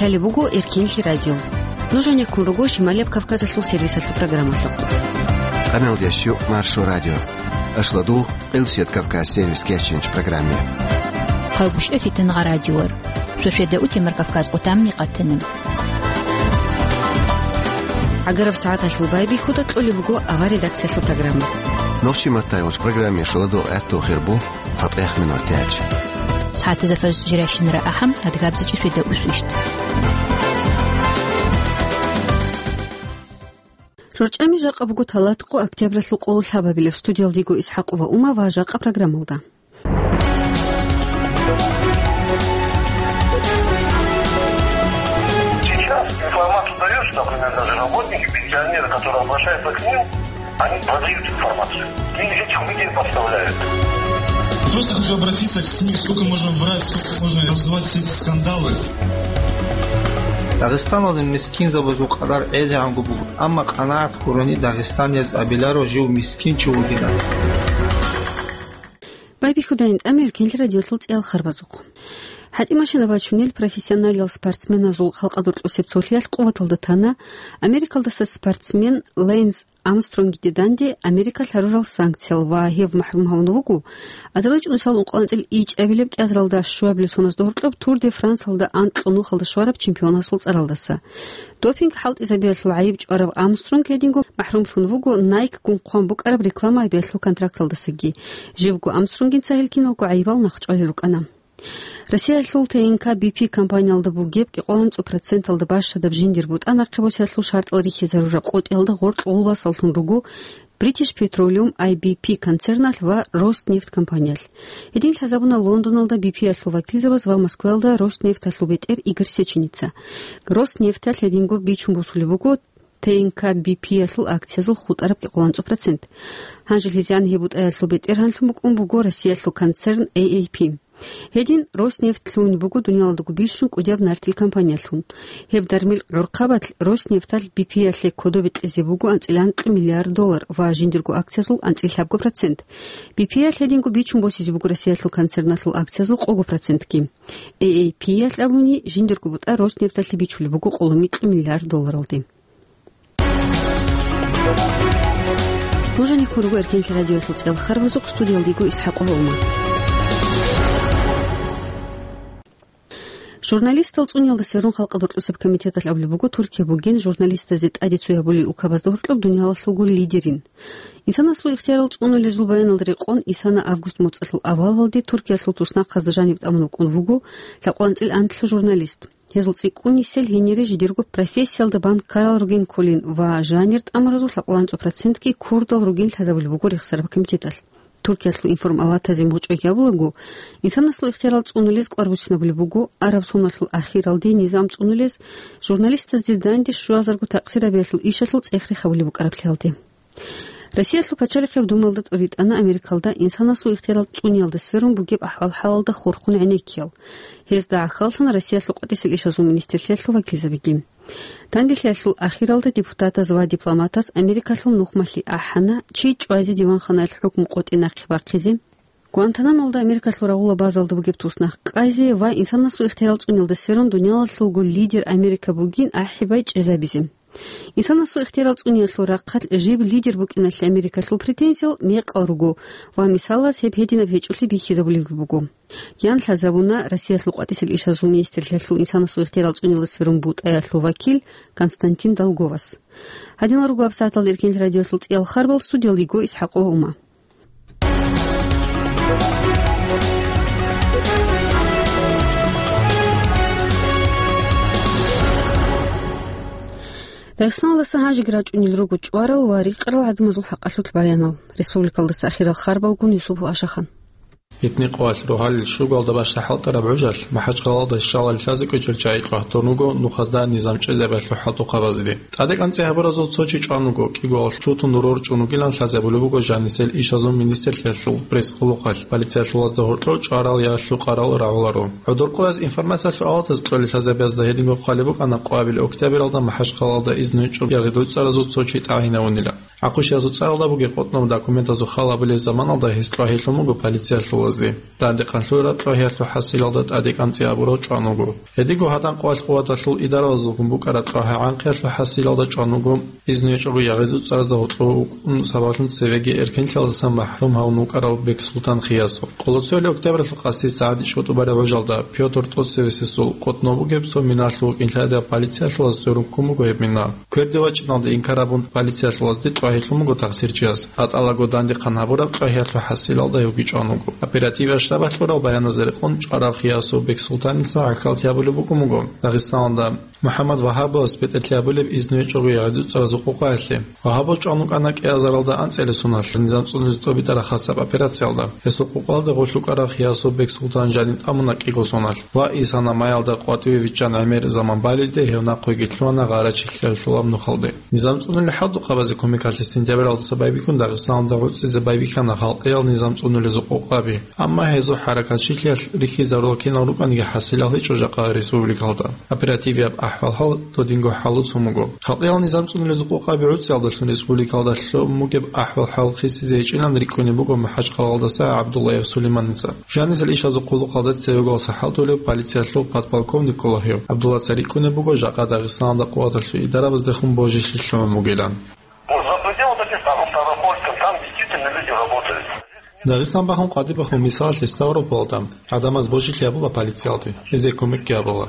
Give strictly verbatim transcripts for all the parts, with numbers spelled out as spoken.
Лъалеб буго Эркенлъи радио. Нуж гьанеккун руго Шималияб Кавказалъул сервисалъул программалъухъ. Къаналдеш щук Маршо радио. Ашладугъ Къилсият Кавказ сервис кечинч программе. Хъагушев Фитангъа радиор. Суседа утемар Кавказ къутамни къатана. ГӀагараб сагӀаталъул байбихьуда кьолеб буго авар редакциялъул программа. Нохчи матайвач программе шаладо гӀатту хирбу. ЦатӀехъ минуталъ. СагӀатазда фажр жирайщинара ахӀам, адгабзачӀи светда усвищт. РорчӀами жакъа буго талатӀкъо октябралъул къоло лъабабилеб. Студиялдего ИсхӀакъова Ума ва жакъа программалда. Сейчас информацию даёшь, например, даже работники, пенсионеры, которые обращаются к ним, Они продают информацию. И этих людей подставляют. Просто хочу обратиться к СМИ. Сколько можно врать, сколько можно раздувать все эти скандалы? Дагъистаналда мискинзабазул къадар гӀезегӀанго буго, амма къанагӀат гурони дагъистанияз абиларо жив мискин чи вугилан. Байбихьудайин тӀамир кенлъи радиолъул цӀиял харбазухъ. ХӀатӀимашина бачунел профессионалиял спортсменазул халкъалда рокьусеб цолъиялъ къуваталда тана Америкалдаса спортсмен Лэнс Армстронгиде данде Америкалъ гьарурал санкциял ва гьев махӀрум гьавун вуго азарилчӀунусал ункъоялда анцӀил ичӀабилеб кӀиазаралда щуабилеб соналда гьоркьоб Тур де Франсалда анкьго нухалда щвараб чемпионасул цӀаралдаса. Допинг хӀалтӀизабиялъул гӀайиб чӀварав Армстронг гьединго махӀрумлъун вуго Nike-гун хъван букӀараб реклама гьабиялъул контракталдасаги. Живго Армстронгин цахӀел киналго гӀайибал нахъчӀвалел рукӀана. Россиялъул Т Н К Б П компаниялда бугеб кӀикъоялда анцӀго проценталда бащадаб жиндир бутӀа нахъе босиялъул шартӀал рихьизарураб къотӀиялда гъоркь гъулбасаллъун руго British Petroleum, I B P, концерналъ ва Роснефть компаниялъ. Гьедин лъазабуна Лондоналда Б П-ялъул вакилзабаз ва Москваялда Роснефталъул бетӀер Игорь Сеченица. Роснефталъ гьединго бичун босулеб буго Т Н К Б П-ялъул акциязул хутӀараб кӀикъоялда анцӀго процент. Гьанже лъизан гьеб бутӀаялъул бетӀергьанлъун букӀун буго Россиялъул концерн А А П. Гьедин Роснефть лъугьун буго дуниялалдаго бищун кӀудияб нартил компаниялъун. Гьеб дармил гӀурхъабалъ Роснефталъ Б П-ялъе кодобе кьезе буго анцӀила анкьа миллиард доллар ва жиндирго акциязул анцӀила лъабго процент. Б П-ялъ гьединго бичун босизе буго Россиялъул концерналъул акциязул къого процентги. А А П-ялъ абуни, жиндирго бутӀа Роснефталъе бичулеб буго къоло микьа миллиард долларалде. Нуж гьанеккун руго Эркенлъи радиоялъул цӀиял харбазухъ, студиялдего ИсхӀакъова Ума. Журналистал цӀуниялда сверун халкъалда рокьусеб комитеталъ абулеб буго, Туркия бугин журналистазе тӀаде цо гьабулел улкабазда гьоркьоб дуниялалъулго лидерин. Инсанасул ихтиярал цӀунулезул баяналда рекъон, исана август моцӀалъул авалалде Туркиялъул туснахъазда жанив тӀамун вукӀун вуго лъабкъоялда анцӀила анлъго журналист. Гьезул цӀикӀкӀунисел гьенире жидерго профессиялда бан ккарал ругин кколин ва жанир тӀамуразул лъабкъоялда анцӀго процентги курдал ругин лъазабулеб буго рехсараб комитеталъ. Туркиялъул информалатазе мугъчӀвай гьабулаго, инсанасул ихтиярал цӀунулез кӀвар буссинабулеб буго араб соналъул ахиралде низам цӀунулез, журналистазде данде щуазарго такъсир гьабиялъул ишалъул цӀех-рех гьабулеб букӀараблъиялде. Россиялъул пачалихъеб думалда тӀуритӀана Америкалда инсанасул ихтиярал цӀуниялда сверун бугеб ахӀвал-хӀалалда хурхун гӀенеккиял. Гьезда гӀахьаллъана Россиялъул къватӀисел ишазул министрлъиялъул вакилзабиги. Данделъиялъул ахиралда депутатаз ва дипломатаз Америкалъул нухмалъи ахӀана, чи чӀвазе диванханаялъ хӀукму къотӀи нахъе бахъизе, Гуантанамолда Америкалъул рагъула базалда бугеб туснахъ къайзе ва инсанасул ихтиярал цӀуниялда сверун дуниялалъулго лидер Америка бугин ахӀи-бай чӀезабизе. Инсанасул ихтиярал цӀуниялъул рахъалъ жиб лидер букӀиналъе Америкалъул претензиял мекъал руго ва мисалаз гьеб гьединаб гьечӀолъи бихьизабулебги буго. Ян лъазабуна Россиялъул къватӀисел ишазул министрлъиялъул инсанасул ихтиярал цӀуниялда сверун бутӀаялъул вакил Константин Долговас. Гьадинал руго гьабсагӀаталда Эркенлъи радиоялъул цӀиял харбал, студиялдего ИсхӀакъова Ума. Дагъистаналдаса гьанжеги рачӀунел руго чӀварал ва рикъарал гӀадамазул хӀакъалъулъ баянал. Республикалдаса ахирал харбалгун Юсупов Ашахан. Гьитни къоялъ рогьалил щугалда бащда хӀалтӀараб гӀужалъ МахӀачхъалалда щалал лъазе кӀвечӀел чагӀи къватун руго нухазда низам чӀезабиялъул хӀалтӀухъабазде. ТӀаде кӀанцӀи гьабуразул цо чи чӀван вуго, кӀигоялъ тутун рорчӀун вугилан лъазабулеб буго жанисел ишазул министрлъиялъул пресс-къулухъалъ. Полициялъулазда гьоркьор чӀварал я лъукъарал рагӀуларо. ГӀодор къояз информациялъул авалатаз кьолел лъазабиязда гьединго хъвалеб букӀана къоабил октябралда МахӀачхъалалда изнугьинчӀо ягъи-дуцӀаразул цо чи тӀагӀинавунила. ГӀакъуба шиясул цӀаралда бугеб къотӀноб документазул хал абулеб заманалда гьес кьвагьелъун буго полициялъулазде. Дандехъан лъугӀараб кьвагьиялъул хӀасилалда тӀаде кӀанцӀи абурав чӀван вуго. Гьединго гьадан къвалъ-къуваталъул идаралазулгун букӀараб кьвагьа-гӀанкъиялъул хӀасилалда чӀван вуго, изну гьечӀого ягъи-дуцӀаразда гьоркьов вукӀун сабаблъун цевеги эркенлъиялдасан махӀрум гьавун вукӀарав Бексултан Хиясов. Къоло цоялъ октябралъул къаси сагӀат ичӀго тӀубараб гӀужалда Пётр ТӀоцевесесул къотӀноб бугеб цо миналъул вукӀинлъадияб полициялъулаз цӀерун ккун буго гьеб мина. Кверде вачӀиналде инкар абун, полициялъулазде кьвагьелъун буго тахсирчияс. ГьатӀалаго дандехъан гьабураб кьвагьиялъул хӀасилалда гьевги чӀван вуго. Оперативияб штабалъ кьурав баяназда рекъон чӀварав Хиясов Бексултаница гӀахьаллъи гьабулеб букӀун буго Дагъистаналда МухӀаммад Вагьабовас бетӀерлъи гьабулеб изну гьечӀого ягъи-дуцӀаразул къокъаялъе. Вагьабов чӀван вукӀана кӀиазаралда анцӀила соналъ низам цӀунулез тӀубитӀараб хасаб операциялда. Гьесул къокъалда гъорлъ вукӀарав Хиясов Бексултан жанив тӀамуна кӀиго соналъ. Ва Исана майялда къватӀиве виччан гӀемер заман балелде гьев нахъеги лъугьана гъарачилъиялъулаб нухалде. Низам цӀунулел хӀалтӀухъабазе кумекалъе сентябралдаса байбихьун Дагъистаналда гӀуцӀизе байбихьана халкъиял низам цӀунулезул къокъаби. Амма гьезул хӀаракатчилъиялъ рихьизарулал кинал рукӀаниги хӀасилал гьечӀо жакъа республикалда. Оперативияб ахӀвал-хӀал додинго хӀалуцун буго. Халкъиял низам цӀунулезул къокъаби гӀуцӀиялдалъун республикалда лъун бугеб ахӀвал-хӀал хисизе гьечӀилан рикӀкӀунеб буго МахӀачхъалалдаса ГӀабдуллаев Сулейманица. Жанисел ишазул хъулухъалда цевегоялдаса хӀалтӀулев полициялъул подполковник ккола гьев. ГӀабдуллаца рикӀкӀунеб буго жакъа Дагъистаналда къуваталъул идарабаздехун божилъи лъугӀун бугилан. Вот за пределы Дагестана, Ставропольска, там действительно люди работают. Дагъистан бахун къватӀибехун, мисалалъе, Ставропольда гӀадамаз божилъи гьабула полициялде, гьезие кумекги гьабула.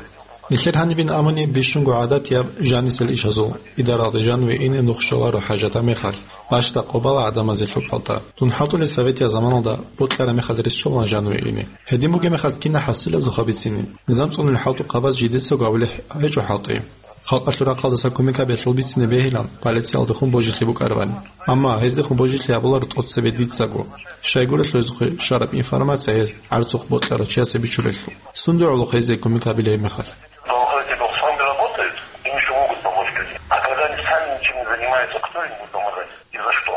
Нилъер гьанибин абуни бищунго гӀадатияб жанисел ишазул идаралде жаниве ине нух щоларо хӀажатаб мехалъ, бащда къо бала гӀадамазе лъукӀалда. Дун хӀалтӀулел советияб заманалда бокьараб мехалъ рес щолаан жаниве ине. Гьедин бугеб мехалъ кина хӀасилазухъа бицине, низам цӀунулел хӀалтӀухъабаз жидецаго абулеб гьечӀо хӀалтӀи. Халкъалъул рахъалдаса кумек гьабиялъул бицине бегьилан, полициялдехун божилъи букӀарабани. Амма гьездехун божилъи гьабуларо тӀоцебе дицаго. Щайгурелъул гьезухъе щвараб информация гьез гӀарцухъ бокьарав чиясе бичулелъул. Сунда гӀолохъе гьезие кумек гьабилеб мехалъ? Доходите, сами работают, им ещё могут помочь люди. А когда они сами ничем не занимаются, кто им будет помогать? И за что?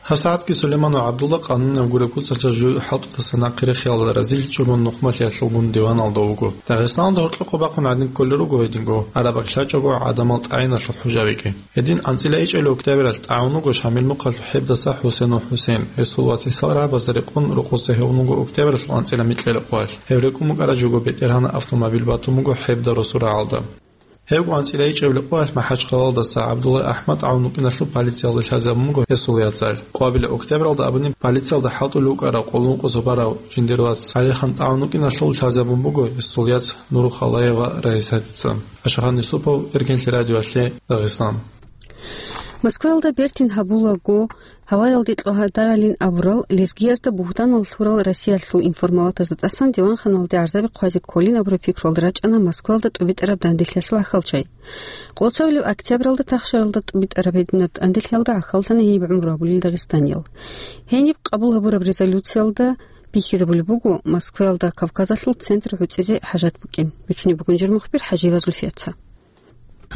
ГьабсагӀатги Сулейман ва ГӀабдулла къанунияв гуреб куцалъа жуй хӀалтӀудаса нахъе рехиялда разилъичӀого нухмалъиялъулгун диваналда вуго. Дагъистаналда гьоркьохъо бахъун гӀадин кколел руго гьединго, араб бакӀ лъачӀого гӀадамал тӀагӀиналъул хӀужабиги. Гьедин анцӀила ичӀабилеб октябралъ тӀагӀун вуго Шамил нухалъ ХӀебдаса ХӀусенов ХӀусен. Гьесул вацасул рагӀабазда рекъон рокъоса гьевун вуго октябралъул анцӀила микьила къоялъ. Гьев рекӀун букӀараб жого БетӀергьанаб автомобиль батун буго ХӀебда росу рагӀалда. Гьевго анцӀила ичӀабилеб къоялъ МахӀачхъалалдаса ГӀабдулла АхӀмад тӀагӀун вукӀиналъул полициялде лъазабун буго гьесул яцӀал. Къоабилеб октябралда абуни полициялда хӀалтӀулев вукӀарав къоло ункъо зобарав жиндир вац ГӀалихан тӀагӀун вукӀиналъул лъазабун буго гьесул яц Нурухалаева Раисатица. Ашахан Юсупов, Эркенлъи радиоялъе, Дагъистан. Москваялда бертин гьабулаго, гьаваялде кьвагьадаралин абурал, лезгиязда бугьтанал лъурал Россиялъул информалатазда тӀасан диванханалде гӀарзаби хъвазе кколин абураб пикруялда рачӀана Москваялда тӀубитӀараб данделъиялъул гӀахьалчай. Къоло цоялъул октябралда тахшаралда тӀубитӀараб гьединаб данделъиялда гӀахьаллъана гьениб гӀумру гьабулел дагъистаниял. Гьениб къабул гьабураб резолюциялда бихьизабулеб буго, Москваялда Кавказалъул центр гӀуцӀизе хӀажат букӀин. Бицунеб бугин жир мухбир ХӀажиева Зульфияца.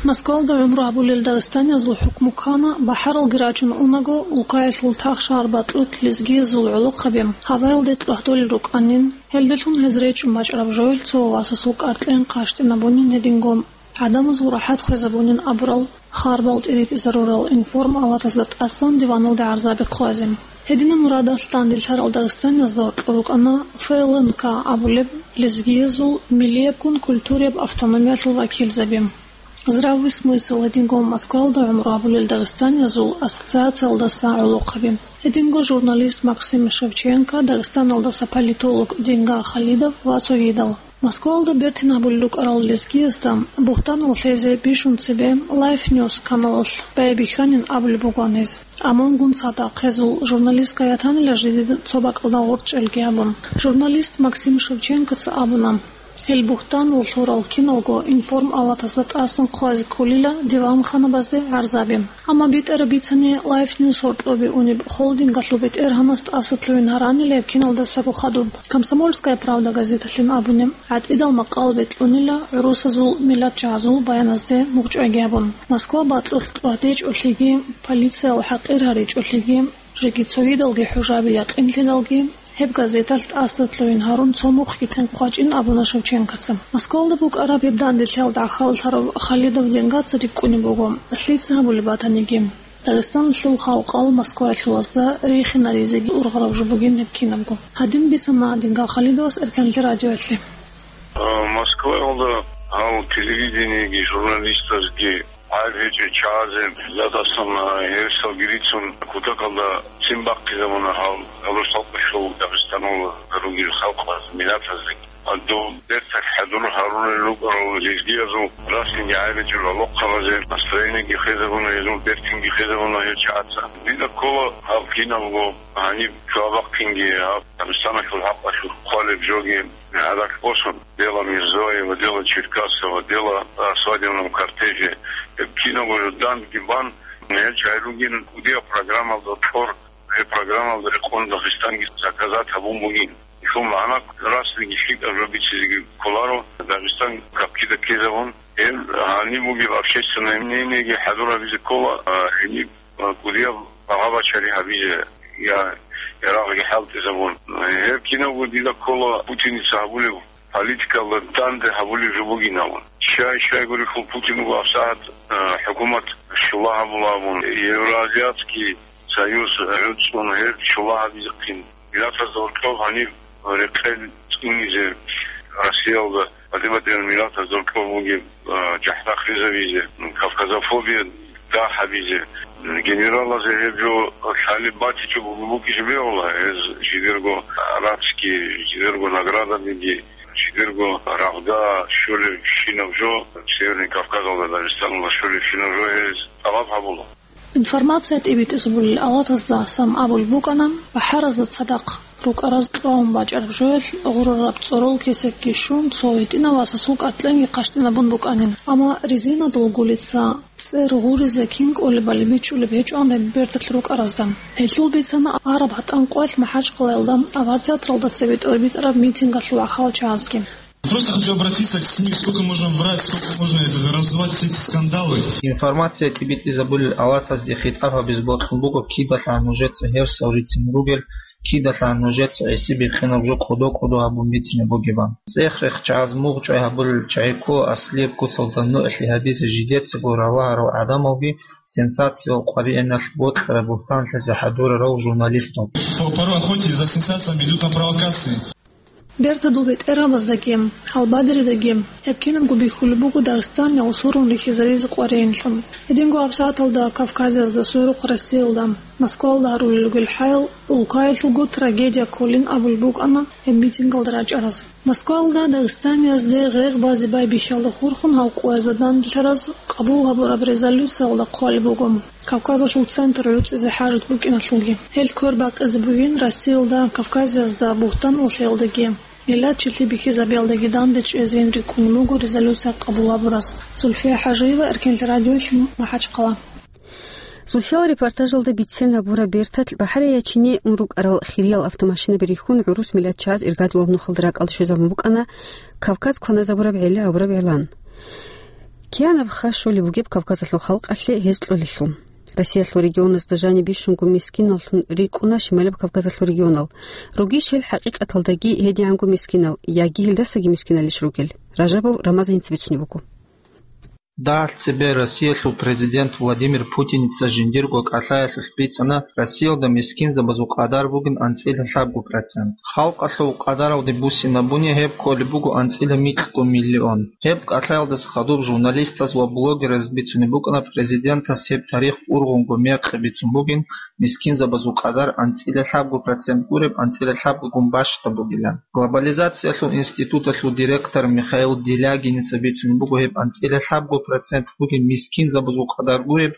Москвалда гӀумру гьабулел дагъистаниязул хӀукму ккана, бахӀаралги рачун унаго, улкаялъул тахшагьар бакьулъ лезгиязул гӀолохъаби гьаваялде кьвагьдолел рукӀанин, гьелдалъун гьез речӀчӀун бачӀараб жоялъ цо васасул кӀаркьен къащтӀинабунин гьединго, гӀадамазул рахӀат хвезабунин абурал харбал тӀиритӀизарурал информалатазда тӀасан диваналде гӀарзаби хъвазе. Гьединаб мурадалъ данделъарал дагъистаниязда гьоркьор рукӀана Ф Л Н К абулеб лезгиязул миллиябгун культурияб автономиялъул вакилзаби. Здравый смысл гьединго Москвалда гӀумру гьабулел дагъистаниязул ассоциациялдаса гӀолохъаби. Гьединго журналист Максим Шевченко, Дагъистаналдаса политолог Денга Халидов ва цогидал. Москвалда бертин гьабулел рукӀарал лезгиязда бугьтанал лъезе бищун цебе Life News каналалъ байбихьанин абулеб бугоан гьез. Амма гун цадахъ гьезул журналистская танила жидеда цо бакӀалда гъоркь чӀелги гьабун. Журналист Максим Шевченкоца абуна, гьел бугьтанал лъурал киналго информалатазда тӀасан хъвазе кколила диванханабазде гӀарзаби. Амма битӀараб бицани, Life News гьоркьобе унеб холдингалъул бетӀергьанас тӀасалъугьин гьаранила гьеб киналдасаго хадуб. Комсомольская правда газеталъин абуни, гӀатӀидал макъал бекьунила гӀурусазул миллатчагӀазул баяназде мугъчӀвайги гьабун. Москва бакьулъ кьвагьдечӀолъиги, полициял хӀакъир гьаричӀолъиги, жеги цогидалги хӀужаби якъинлъидалги, гьеб газеталъ тӀасалъугьин гьарун цо мухъгицин хъвачӀин абуна Шевченкоца. Москвалда букӀараб гьеб данделъиялда гӀахьаллъарав Халидов Денгаца рикӀкӀунеб буго, лъица гьабулеб батаниги. Дагъистаналъул халкъал Москваялъулазда рихинаризеги ургъараб жо бугин гьеб кинабго. Гьадин бицана Дингал Халидовас Эркенлъи радиоялъе. А, Москваялда гьал телевидениеги журналистазги гӀайиб гьечӀеб чагӀазе, дадасан, а, гьерсалги рицун, кутакалда ццин бахъизабуна гьал, гьалул халкъалъул Дагъистаналда ругел халкъаз, миллатазеги. Гьадур берталъ хӀадур гьарулел рукӀарал жиндиязул расинги гӀайиб гьечӀеб гӀолохъабазе настроениеги хвезабуна, гьезул бертинги хвезабуна гьел чагӀаца. Дида ккола гьаб кинабго гьаниб цо абахъинги гьаб Дагъистаналъул хӀакъалъулъ хъвалеб жоги гӀадат босун, дела Мирзоева, дела Черкасова, дела, а, свадебном кортеже. Гьеб кинабго жо данде бан, гьел чагӀи ругин кӀудияб программалда тӀор, гьеб программалда рекъон Дагъистанги заказать гьабун бугин. Ишул магӀна расниги лъикӀаб жо бицизеги кколаро, Дагъистан капкида ккезабун. Гьеб гьаниб бугеб общественное мнениеги хӀадур гьабизе ккола, а, гьениб, а, кӀудияб багъа-бачари гьабизе, я, ярагъги хӀалтӀизабун. Гьеб кинабго дида ккола Путиница гьабулеб политикалда данде гьабулеб жо бугин абун. Щай-щай гурелъул Путин вуго гьабсагӀат, а, хӀукумат щула гьабула абун, Евроазиатский Союз гӀуцӀун гьеб щула гьабизехъин. Миллатазда гьоркьоб гьаниб рекъел цӀунизе Россиялда, батӀи-батӀиял миллатазда гьоркьоб бугеб, а, жахӀда хвезабизе, кавказофобия дагь гьабизе. Генералазе гьеб жо лъалеб батичӀого букӀине бегьула, гьез жидерго арабский, жидерго наградабиги, жидерго рагъда щолебщинаб жо, Северный Кавказалда, Дагъистаналда щолебщинаб жо гьез тӀалаб гьабула. Информация тӀибитӀизабулел алатазда сам абулеб букӀана, бахӀаразда цадахъ рукӀараз кьван бачӀараб жоялъ гъурараб цӀорол кесекги щун, цо гьитӀинав васасул кӀаркьенги хъащтӀинабун букӀанин. Амма резинадул гулица цӀер гъуризе кин кӀолебали бичӀчӀулеб гьечӀо гьеб берталъ рукӀаразда. Гьелъул бицана араб гьатӀан къоялъ МахӀачкъалаялда авар театралда цебе тӀорбитӀараб митингалъул ахал чагӀазги. Просто хочу обратиться к СМИ, сколько можно врать, сколько можно это, раздувать все эти скандалы. Информация тӀибитӀизабулел алатазде хитӀаб гьабизе бокьун буго, кидалъан нужеца гьерсал рицин ругел, кидалъан нужеца гӀисибихъинаб жо кӀодо-кӀодо гьабун бицине бугебан. ЦӀех-рех чагӀаз мугъчӀвай гьабулел чагӀи ккола аслияб куцалда нугӀлъи гьабизе жидецаго ралагьарал гӀадамалги, сенсациялъ къваригӀиналъ бокьараб бугьтанлъизе хӀадурарал журналистал. По-, порой охотясь за сенсациями идут на провокации. Бертадул бетӀергьабаздаги, гьалбадеридаги гьеб кинабго бихьулеб буго Дагъистаниялъ сурун рихьизаризе къваригӀинлъун. Гьединго гьабсагӀаталда Кавказиязда сверухъ Россиялда, Москвалда гьарулел ругел хӀаял улкаялъулго трагедия кколин абулеб букӀана гьеб митингалда рачӀараз. Москвалда Дагъистаниязде гъегъ базе байбихьиялда хурхун гьал къоязда данделъараз къабул гьабураб резолюциялда хъвалеб буго. Кавказалъул центр гӀуцӀизе хӀажат букӀиналъулги. Гьел квер бакъизе бугин Россиялда, Кавказиязда бугьтан лъеялдаги, миллатчилъи бихьизабиялдаги данде чӀезейин рикӀкӀунеб буго резолюция къабул гьабураз. Зульфия ХӀажиева, Эркенлъи радиоялъ, МахӀачхъала. Зульфиял репортажалда бицен гьабураб берталъ бахӀарияй чине ун рукӀарал хириял автомашинаби рихьун гӀурус миллатчияз иргадулаб нухалда ракӀалде щвезабун букӀана Кавказ кваназабураб гӀеле абураб гӀелан. Кианаб хха щолеб бугеб Кавказалъул халкъалъе гьез кьолелъул. Россиялъул регионазда жаниб бищунго мискиналлъун рикӀкӀуна Шималаб Кавказалъул регионал. Ругищ гьел хӀакъикъаталдаги гьедигӀанго мискинал, яги гьелдасаги мискиналищ ругел? Ражабов Рамазан инца бицунеб буго. Дагьалъ цебе Россиялъул президент Владимир Путиница жиндирго кӀалъаялъулъ бицана, Россиялда мискинзабазул къадар бугин анцӀила лъабго процент. Халкъалъул къадаралде буссинабуни гьеб кколеб буго анцӀила микьго миллион. Гьеб кӀалъаялдаса хадуб журналистаз ва блогераз бицунеб букӀана президентас гьеб тарих ургъунго мекъи бицун бугин, мискинзабазул къадар анцӀила лъабго процент гуреб, анцӀила лъабгогун бащдаб бугилан. Глобализациялъул институталъул директор Михаил Делягиница бицун буго гьеб анцӀила лъабго процент бугин мискинзабазул къадар гуреб,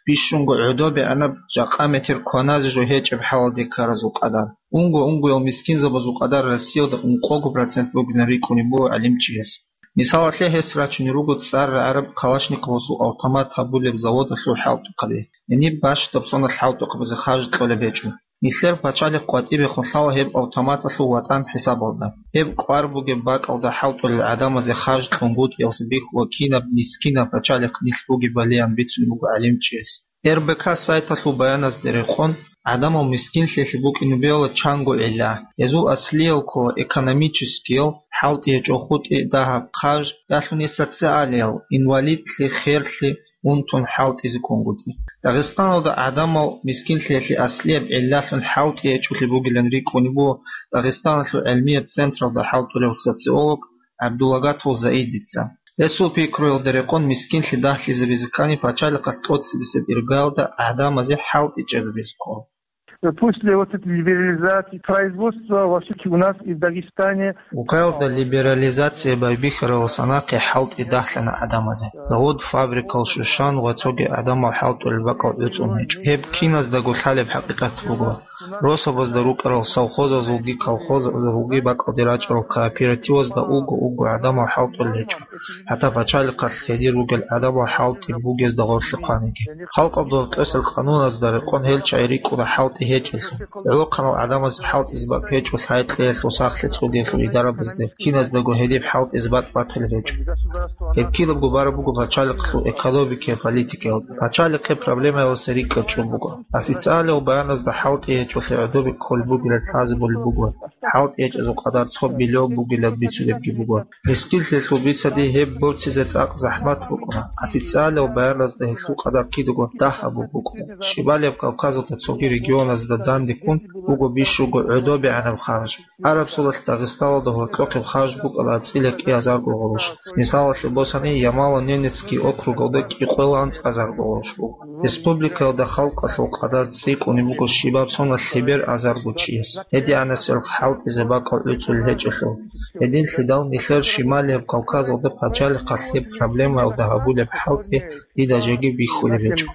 бищунго гӀодобегӀанаб жакъа метер кваназе жо гьечӀеб хӀалалде ккаразул къадар. Унго-унгоял мискинзабазул къадар Россиялда ункъого процент бугилан рикӀкӀунеб буго гӀалимчияс. Мисалалъе, гьес рачунел руго цӀар рагӀараб Калашниковасул автомат гьабулеб заводалъул хӀалтӀухъаби. Гьениб бащдаб соналъ хӀалтӀухъабазе харж кьолеб гьечӀо. Нилъер пачалихъ къватӀибехун лъала гьеб автоматалъул ватӀан хӀисабалда. Гьеб кӀвар бугеб бакӀалда хӀалтӀулел гӀадамазе харж кьунгутӀиялъе бихьула кинаб мискинаб пачалихъ нилъ бугебалиян бицун буго гӀалимчияс. Р Б К сайталъул баяназде рекъон, гӀадамал мискинлъиялъе букӀине бегьула чанго гӀилла. Гьезул аслиял ккола экономическиял, хӀалтӀи гьечӀо хутӀи, дагьаб, харж, далъун гьес социалиял, инвалидлъи, херлъи, унтун хӀалтӀизе ккунгутӀи. Дагъистаналда гӀадамал мискинлъиялъе аслияб гӀиллалъун хӀалтӀи гьечӀолъи бугилан рикӀкӀунеб буго Дагъистаналъул гӀилмияб централда хӀалтӀулев социолог ГӀабдулагатул Заидица. Гьесул пикруялда рекъон, мискинлъи дагьлъизабизе ккани, пачалихъалъ тӀоцебесеб иргаялда гӀадамазе хӀалтӀи чӀезабизе ккола. После вот этой либерализации производства, во всяком у нас и в Дагестане. Укаялда либерализация байбихьаралдаса нахъе хӀалтӀи дагьлъана гӀадамазе. Завод-фабрикал щущан ва цоги гӀадамал хӀалтӀулел бакӀал гӀуцӀун гьечӀо. Гьеб киназдаго лъалеб хӀакъикъат буго. Росабазда рукӀарал совхозазулги колхозазулги бакӀалде рачӀарал кооперативазда уго-уго гӀадамал хӀалтӀулел гьечӀо. ХӀатта пачалихъалъ гьедир ругел гӀадамал хӀалтӀи бугезда гъорлъе хъваниги. Халкъалда гьоркьосел къануназда рекъон гьел чагӀи рикӀкӀуна хӀалтӀи гьечӀелъул. ГӀолохъанал гӀадамазе хӀалтӀизе бакӀ гьечӀо лъай-кьеялъул, сахлъи-цӀудиялъул идарабазде, киназдаго гьедиб хӀалтӀизе бакӀ батулеб гьечӀо. Гьеб кинабго бараб буго пачалихъалъул экономикияе, политикаялда. Пачалихъе проблемаялдаса рикӀкӀад чӀун буго. Официалиял баяназда хӀалтӀи гьечӀолъи гӀодобе кколеб бугилан лъазабулеб буго. ХӀалтӀи гьечӀезул къадар цо биллион бугилан бицунебги буго. Мискинлъиялъул бицаде гьеб борцизе цӀакъ захӀмат букӀуна. Официалиял баяназда гьелъул къадар кидаго дагь абун букӀуна. Щибалияб Кавказалда цоги регионазда данде ккун буго бищунго гӀодобегӀанаб харж. Араб суалалъ Дагъистаналда гьоркьохъеб харж букӀана анцӀила кӀиазарго гъурущ. Мисалалъе босани, Ямало-Ненецкий округалда кӀикъоялда анцӀазарго гъурущ буго. Республикаялда халкъалъул къадар цӀикӀкӀунеб буго щибаб соналъ лъебераб азарго чияс, гьедигӀанасел хӀалтӀизе бакӀал гӀуцӀулел гьечӀелъул. Гьединлъидал нилъер Шималияб Кавказалда пачалихъалъ гьеб проблемаялда гьабулеб хӀалтӀи дида жеги бихьулеб гьечӀо.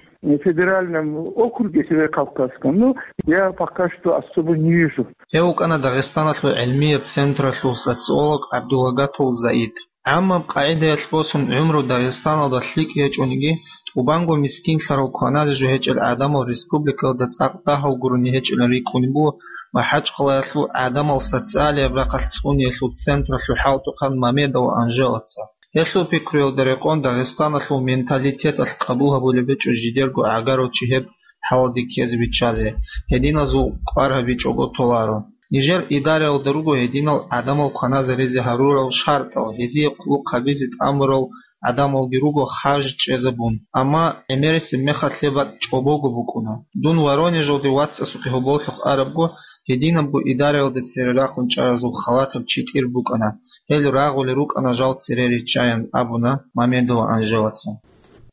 Федеральном округе Северокавказском, ну, я пока что особо не вижу. Гьев вукӀана Дагъистаналъул гӀилмияб централъул социолог ГӀабдулагатул Заид. ГӀаммаб къагӀидаялъ босун гӀумру Дагъистаналда лъикӀ гьечӀониги, тӀубанго мискинлъарал кваназе жо гьечӀел гӀадамал республикаялда цӀакъ дагьал гурони гьечӀилан рикӀкӀунеб буго МахӀачкъалаялъул гӀадамал социалияб рахъалъ цӀуниялъул централъул хӀалтӀухъан Мамедова Анжелаца. Гьелъул пикруялда рекъон, Дагъистаналъул менталитеталъ къабул гьабулеб гьечӀо жидерго гӀагарав чи гьеб хӀалалде ккезе биччазе, гьединазул кӀвар гьабичӀого толаро. Нижер идараялда руго гьединал гӀадамал кваназаризе гьарурал шартӀал, гьезие хъулухъ гьабизе тӀамурал гӀадамалги руго харж чӀезабун, амма гӀемерисеб мехалъ гьеб бакӀ чӀобого букӀуна. Дун Воронежалде вацасухъе гьоболлъухъ арабго, гьединабго идараялда цере рахун чӀаразул халатаб чи тӀир букӀана. Гьел рагъулел рукӀана жал цере риччаян, абуна Мамедова Анжелаца.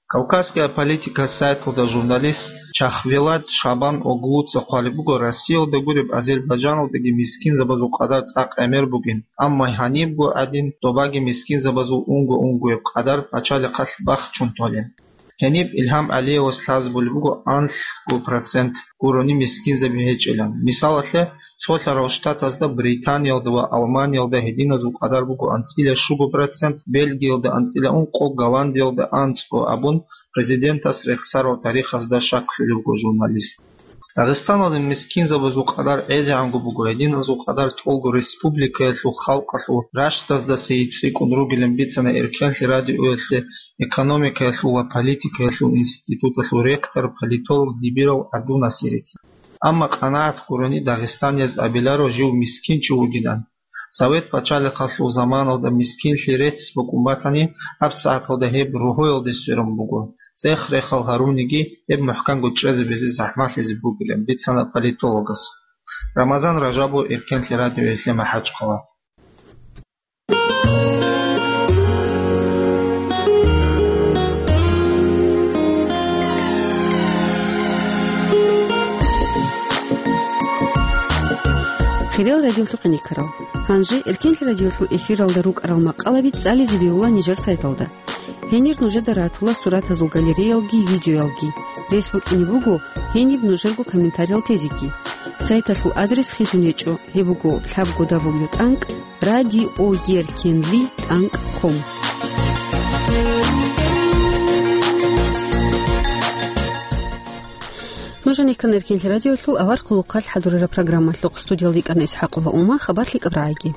Кавказская политика сайталда журналист Чахвелад Шабан-оглуца хъвалеб буго, Россиялда гуреб Азербайджаналдаги мискинзабазул къадар цӀакъ гӀемер бугин, амма гьанибго гӀадин добаги мискинзабазул унго-унгояб къадар пачалихъалъ бахчун толин. Гьениб Илгьам ГӀалиевас лъазабулеб буго анлъго процент гурони мискинзаби гьечӀилан. Мисалалъе, Цолъарал Штатазда, Британиялда ва Алманиялда гьединазул къадар буго анцӀила щуго процент, Бельгиялда анцӀила ункъо, Голландиялда анцӀго абун, президентас рехсарал тарихазда щаклъулев вуго журналист. Дагъистаналда мискинзабазул къадар гӀезегӀанго буго, гьединазул къадар тӀолго республикаялъул халкъалъул ращдаздаси цӀикӀкӀун ругилан бицана Эркенлъи радиоялъе экономикаялъул ва политикаялъул институталъул ректор, политолог Дибиров ГӀабдул-Насирица. Амма къанагӀат гурони дагъистанияз абиларо жив мискинчи вугилан. Совет пачалихъалъул заманалда мискинлъи рецц букӀун батани, гьабсагӀаталда гьеб рогьоялде сверун буго. ЦӀех-рехал гьаруниги, гьеб мухӀканго чӀезабизе захӀмалъизе бугилан бицана политологас. Рамазан Ражабов, Эркенлъи радиоялъе МахӀачкъала. Хириял радиолъухъ гӀенеккарал. Гьанже Эркенлъи радиолъул эфиралда рукӀарал макъалаби цӀализе бегьула нижер сайталда. Гьенир нужеда ратула суратазул галереялги видеоялги. Рес букӀине буго гьениб нужерго комментариял тезеги. Сайталъул адрес хисун гьечӀо, гьеб буго лъабго дабл ю тӀанкӀ радиоеркенлъи тӀанкӀ ком. Нуж гьанир ккана Эркенлъи радиолъул авар хъулухъалъ хӀадурараб программалъухъ. Студиялда йикӀана ИсхӀакъова Ума, хабар лъикӀаб рагӀиги.